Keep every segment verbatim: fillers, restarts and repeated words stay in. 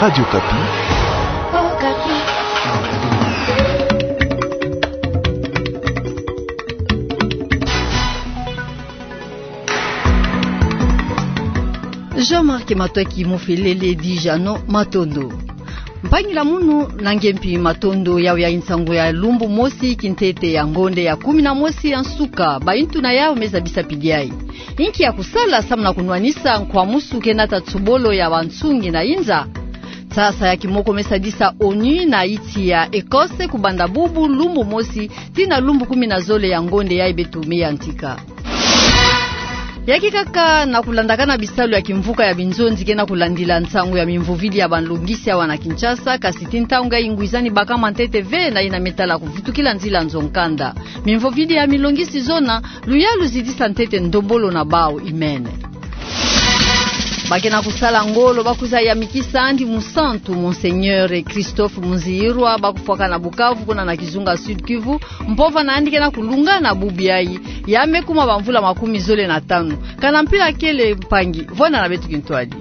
Radio Okapi. Jean-Marc Matwaki Mofelele dit Jeannot, matondo. Mpangila munu, na nge mpi matondo yawu ya nsangu ya lumbu mosi kintete ya ngonde ya kumi na mosi ya nsuka, bayintu na yawu me zabisa pidi ayi. Inki ya kusala samu na kunwanisa nkwamusu ke nata tsobolo ya bansungi na inza? Nsasa ya kimoko me sadisa ONU na insi ya Ecosse kubanda bubu lumbu mosi tii na lumbu kumi na zole ya ngonde yayi beto me yantika. Yaki kaka na kulandakana bisalu ya kimvuka ya binzonzi ke na kulandila nsangu ya mimvovidi ya banlongisi awa na Kinshasa, kasi tii ntangu yayi ngwizani bakama ntete ve na yina me tala kuvutukila nzila nzo nkanda. Mimvovidi ya milongisi zona, luyalu zidisa ntete ndombolo na bawu imene. Ba ke na kusala ngolo ba kwiza yamikisa yandi musantu, Monseigneur Christophe Munziyirwa, ba kufwaka na Bukavu, kuna na kizunga Sud-Kivu, mpova na yandi ke na kulungana bubu yayi, ya me kuma bamvula makumi zole na tanu. Kana mpila kele mpangi, vwanda na beto kintwadi.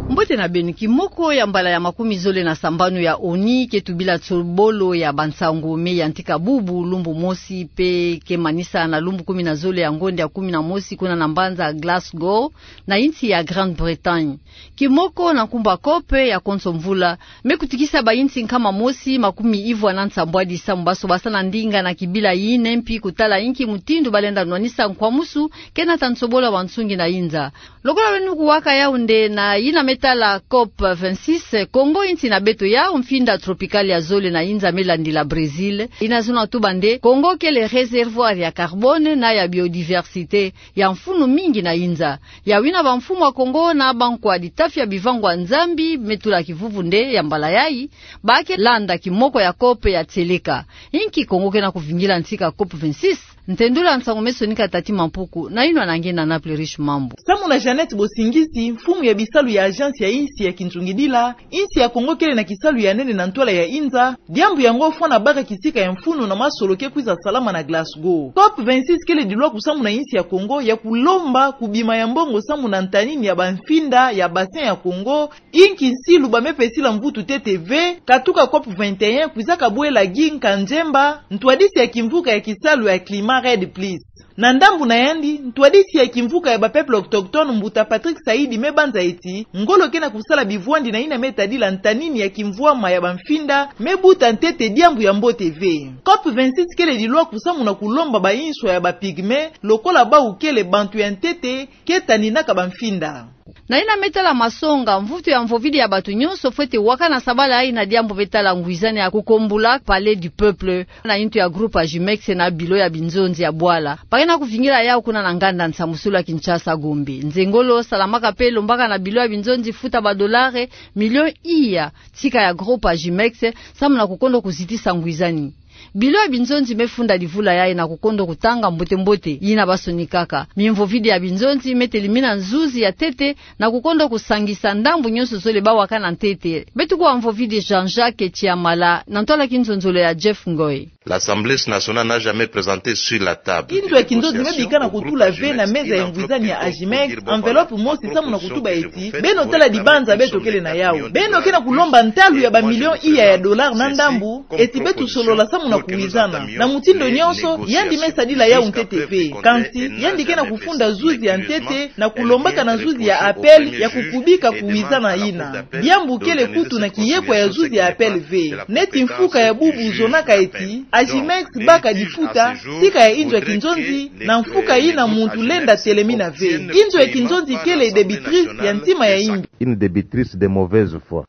Mbote na beno. Kimoko ya mbala ya makumi zole na sambanu ya ONU ke tubila tsobolo ya bansangu me yantika bubu lumbu mosi mpe ke manisa na lumbu kumi na zole ya ngonde ya kumi na mosi kuna na mbanza Glasgow, na insi ya Grande-Bretagne. Kimoko na nkumbu ya COP ya konso mvula, me kutikisa bayinsi nkama mosi makumi ivwa na nsambwadi samu baso basa na ndinga na kibila yina, mpi kutala inki mutindu ba lenda nwanisa nkwamusu ke nata tsobolo ya bansungi na inza. Lokola beno kuwaka yawu nde, na yina me tala COP vingt-six, Congo, insi na beto ya mfinda tropicale ya zole na inza me landila Brésil, yina zona tuba nde Congo kele réservoir ya carbone na ya biodiversité ya mfunu mingi na inza. Yawu yina bamfumu ya Congo na bankwadi tafia bivangwa Nzambi me tula kivuvu nde ya mbala yayi, ba ke landa kimoko ya COP ya tieleka. Inki Congo ke na kuvingila ntika COP vingt-six? Ntendula nsangu me sonika Tati Mampuku, na yinwa na nge na Naples Riche Mambu. Samu na Jeannette Bosingisi, mfumu ya bisalu ya agence ya insi ya kinzungidila, insi ya Congo kele na kisalu ya nene na ntwala ya inza, diambu yango fwana baka kisika ya mfunu na masolo ke kwiza salama na Glasgow. COP vingt-six kele dilwaku samu na insi ya Congo ya kulomba kubima ya mbongo samu na ntanini ya bamfinda ya bassin ya Congo, inki nsilu ba me pesila mvutu ntete ve, katuka COP vingt et un kwizaka bwela gi nka nzemba, ntwadisi ya kimvuka ya kisalu ya Climat Red Plus. Na ndambu na yandi, ntwadisi ya kimvuka ya ba peuples autochtones, mbuta Patrick Saïdi, me banza ti ngolo ke na kusala bivwandi na yina me tadila ntanini ya kimvwama ya bamfinda me buta ntete diambu ya mbote ve. COP vingt-six kele dilwaku samu na kulomba bainswa ya ba pygmées, lokola bawu kele bantu ya ntete, ke taninaka bamfinda. Na yina me tala masonga, mvutu ya mvovidi ya bantu nyonso fwete wakana sabala yayi na diambu me tala ngwizani ya kukombula Palais du Peuple, na yintu ya groupe Agimex na bilo ya binzonzi ya bwala. Ba ke na kuvingila yawu kuna na nganda nsamusulu ya Kinshasa Gombe. Nzengolo salamaka mpe lombaka na bilo ya binzonzi futa ba dollars millions iya tika ya groupe Agimex, samu na kukondo kuzitisa ngwizani. Bilo ya binzonzi me funda livula yayi na kukondo kutanga mbote-mbote yina ba sonikaka. Mimvovidi ya binzonzi me telimina nzuzi ya ntete na kukondo kusangisa ndambu nyonso zole ba wakana ntete. Beto kuwa mvovidi Jean-Jacques Tshiamala na ntwala kinzonzolo ya Jeff Ngoy. L'Assemblée nationale n'a jamais présenté sur la table. Inzo ya kinzonzi me bika na kutula ve na meza ya ngwizani ya Agimex enveloppe mosi samu na kutuba ti beno tala dibanza beto kele na yawu. Beno ke na kulomba ntalu ya ba millions iya ya dollars na ndambu, ti beto solola samu na kuwizana. Na mutindu nyonso, yandi me sadila yawu ntete ve. Kansi, yandi ke na kufunda zuzi ya ntete, na kulombaka na zuzi ya appel ya kukubika kuwizana yina. Diambu kele kutu na kiyekwa ya zuzi ya appel ve. Neti mfuka ya bubu zonaka ti Agimex baka difuta tika ya inzo ya kinzonzi, na mfuka yina muntu lenda telemina ve. Inzo ya kinzonzi kele débitrice ya ntima ya imbi. Une débitrice de mauvaise foi.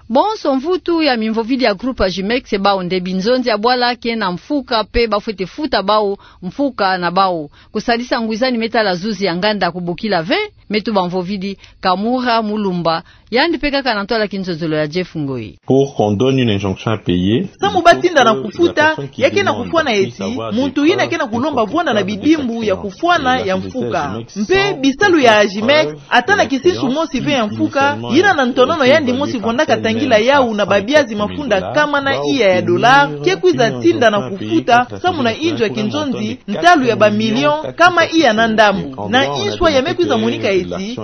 Bonso mvutu ya mimvovidi ya groupe Agimex, bawu nde binzonzi ya bwala ke na mfuka mpe ba fwete futa bawu mfuka na bawu. Kusadisa ngwizani me tala zuzi ya nganda kubokila ve. Me tubâ mvovidi Kamura Mulumba, yandi pe kaka na ntwala kinzonzolo ya Jeff Ngoi. Pour qu'on donne une injonction à payer, samu batinda na kufuta, ya ke na kufwana eti muntu yina ke na kulomba vwanda na bidimbu ya kufwana ya mfuka. Mpe bisalu ya Agimex, ata na kisinsu mosi ve ya mfuka, yina na ntonono yandi mosi vwandaka tangila yau na babiazi mafunda kama na iya ya dollars, ke kwiza tinda na kufuta, samu na inzo ya kinzonzi, ntalu ya ba millions kama iya na ndambu. Na inswa ya me kwiza monika eti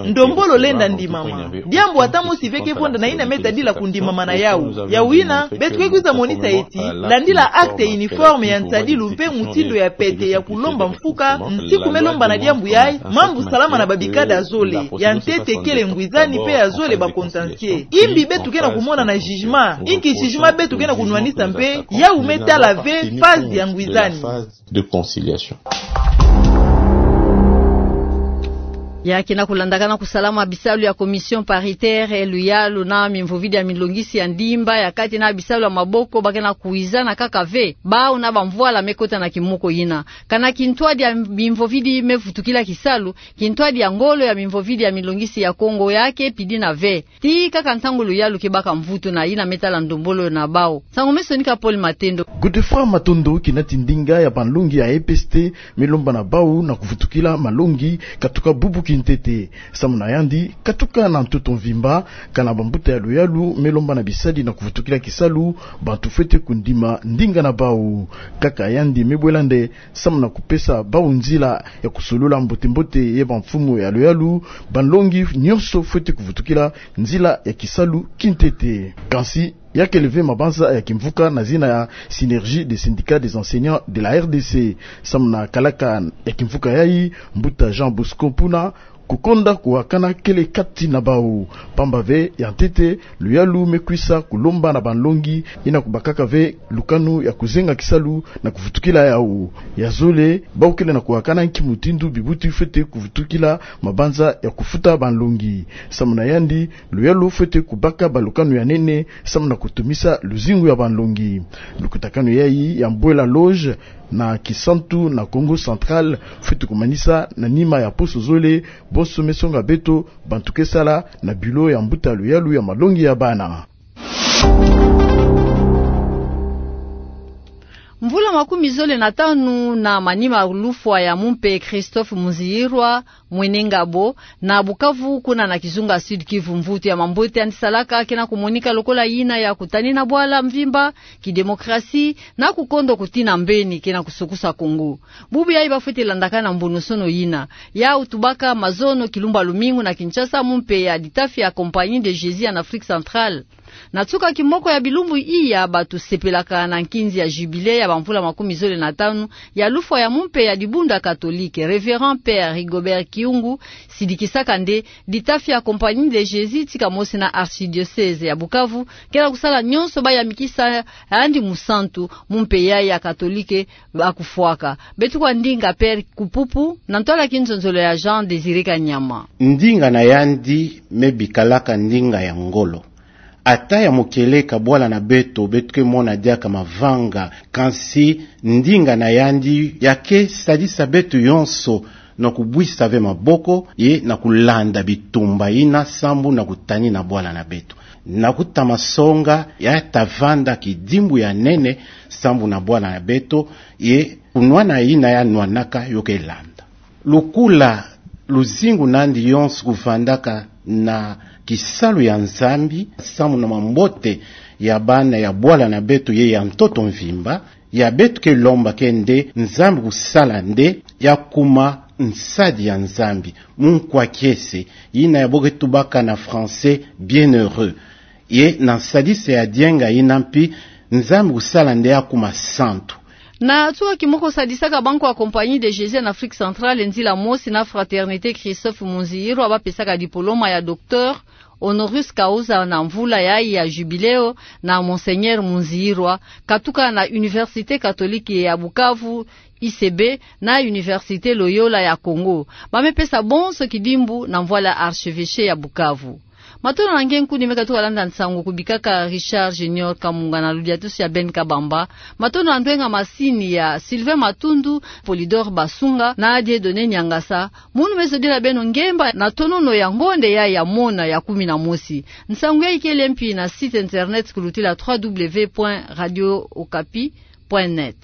ndombolo lenda ndimama. Diambu ata mosi ve ke vwanda na yina me tadila kundimama na yau. Yau yina, beto ke kwiza monisa eti, landila acte uniforme ya nsadilu mpe mutindu ya pete ya kulomba mfuka, nsiku me lomba na diambu yayi, mambu salama na babikada zole, ya ntete kele ngwizani mpe ya zole ba contentieux. Imbi beto ke na kumona na jugement, inki jugement beto ke na kunwanisa mpe, yau me tala ve phase ya ngwizani. De conciliation. Ya ke na kulandakana kusalama bisalu ya commission paritaire, luyalu na mimvovidi ya milongisi ya ndimba ya kati na bisalu ya maboko, ba ke na kwizana kaka ve, bau na bamvwala me kota na kimoko yina. Kana kintwadi ya mimvovidi me vutukila kisalu, kintwadi ya ngolo ya mimvovidi ya milongisi ya Kongo ya ke pidina ve. Tii kaka ntangu luyalu ke baka mvutu na yina me tala ndombolo na bau. Nsangu me sonika Paul Matendo. Godefroid Matondo, kinati ndinga ya banlongi ya E P S T, me lomba na bau na kuvutukila malongi, katuka bubu kintete. Samu na yandi, katuka na ntoto mvimba, kana bambuta ya luyalu me lomba na bisadi na kuvutukila kisalu, bantu fwete kundima ndinga na bau. Kaka yandi me bwela nde, samu na kupesa bau nzila ya kusolola mbote-mbote ye bamfumu ya luyalu, banlongi nyonso fwete kuvutukila nzila ya kisalu kintete. Kansi, ya kele ve mabanza ya kimvuka na zina ya Synergie des syndicats des enseignants de la R D C. Samu na kalaka ya kimvuka yayi, mbuta Jean Bosco Mpuna, kukonda kuwakana kele kati na bau. Pamba ve ya ntete, luyalu me kwisa kulomba na banlongi, yina kubakaka ve lukanu ya kuzenga kisalu na kuvutukila yau. Ya zole, bau kele na kuwakana nki mutindu bibuti fwete kuvutukila mabanza ya kufuta banlongi. Samu na yandi, luyalu fwete kubaka balukanu ya nene, samu na kutumisa luzingu ya banlongi. Lukutakanu yayi ya mbwela loge na kisantu na Kongo Central fwete kumanisa na nima ya poso zole, bonso me songa beto, bantu ke sala na bureau ya mbuta luyalu ya malongi ya bana. Mvula makumi zole na tanu na manima lufwa ya mumpe Christophe Muzihirwa, mwene ngabo, na Bukavu, kuna na kizunga Sud-Kivu, mvutu ya mambote yandi salaka ke na kumonika lokola yina ya kutanina bwala mvimba, kidemokrasi, na kukondo kutina mbeni ke na kusukusa Kongo. Bubu yayi ba fwete landakana mbonosono yina. Yau tubaka mazono kilumbu lumingu na Kinshasa, mumpe ya ditafi ya Compagnie de Jésus en Afrique Centrale. Na nsuka kimoko ya bilumbu iya, bantu sepelaka na nkinzi ya jubile ya bamvula makumi zole na tanu ya lufwa ya mumpe ya dibundu ya Katolike, Révérend Père Rigobert Kiungu, sidikisaka nde ditafi ya Compagnie de Jésus tika mosi na Archidiocèse ya Bukavu ke na kusala nyonso ba yamikisa yandi musantu, mumpe yayi ya Katolike ba kufwaka. Beto kwa ndinga Père Kupupu na ntwala kinzonzolo ya Jean Désiré Kanyama. Ndinga na yandi me bikalaka ndinga ya ngolo. Ata ya mukeleka bwala na beto, beto ke mona diaka mavanga, kansi ndinga na yandi ya ke sadisa beto yonso na kubwisa ve maboko, ye na kulanda bitumba yina sambu na kutanina bwala na beto. Na kutama songa ya ta vanda kidimbu ya nene sambu na bwala na beto, ye kunwana yina ya nwanaka yo ke landa. Lukula luzingu nandi yonso kuvandaka na kisalu ya Nzambi, samu na mambote ya bana ya bwala na beto ye ya ntoto mvimba, ya beto ke lomba ke nde Nzambi kusala nde ya kuma nsadi ya Nzambi, munkwa kiese, yina ya bo ke tubaka na français bienheureux. Ye na nsadisa ya dienga yina mpi, Nzambi kusala nde ya kuma santu. Na nsuka kimoko sadisaka bankwa Compagnie de Jésus en Afrique Centrale nzila mosi na Fraternité Christophe Muzihirwa ba pesaka diploma ya docteur honoris causa na mvula yayi ya jubileo na Monseigneur Muzihirwa, katuka na Université Catholique ya Bukavu, I C B, na Université Loyola ya Kongo. Ba me pesa bonso kidimbu na mvwala ya Archevêché ya Bukavu. Matondo na nge nkuni me katuka landa nsangu kubikaka Richard Junior Kamunga na ludiatusi ya Ben Kabamba. Matondo na ndwenga masini ya Sylvain Matundu, Polydor Basunga na Dieudonné Niangasa. Munu me zodila beno ngemba na tonono ya ngonde ya ya mona ya kumi na mosi. Nsangu ya ikele mpi na site internet kulutila trois W point radio okapi point net.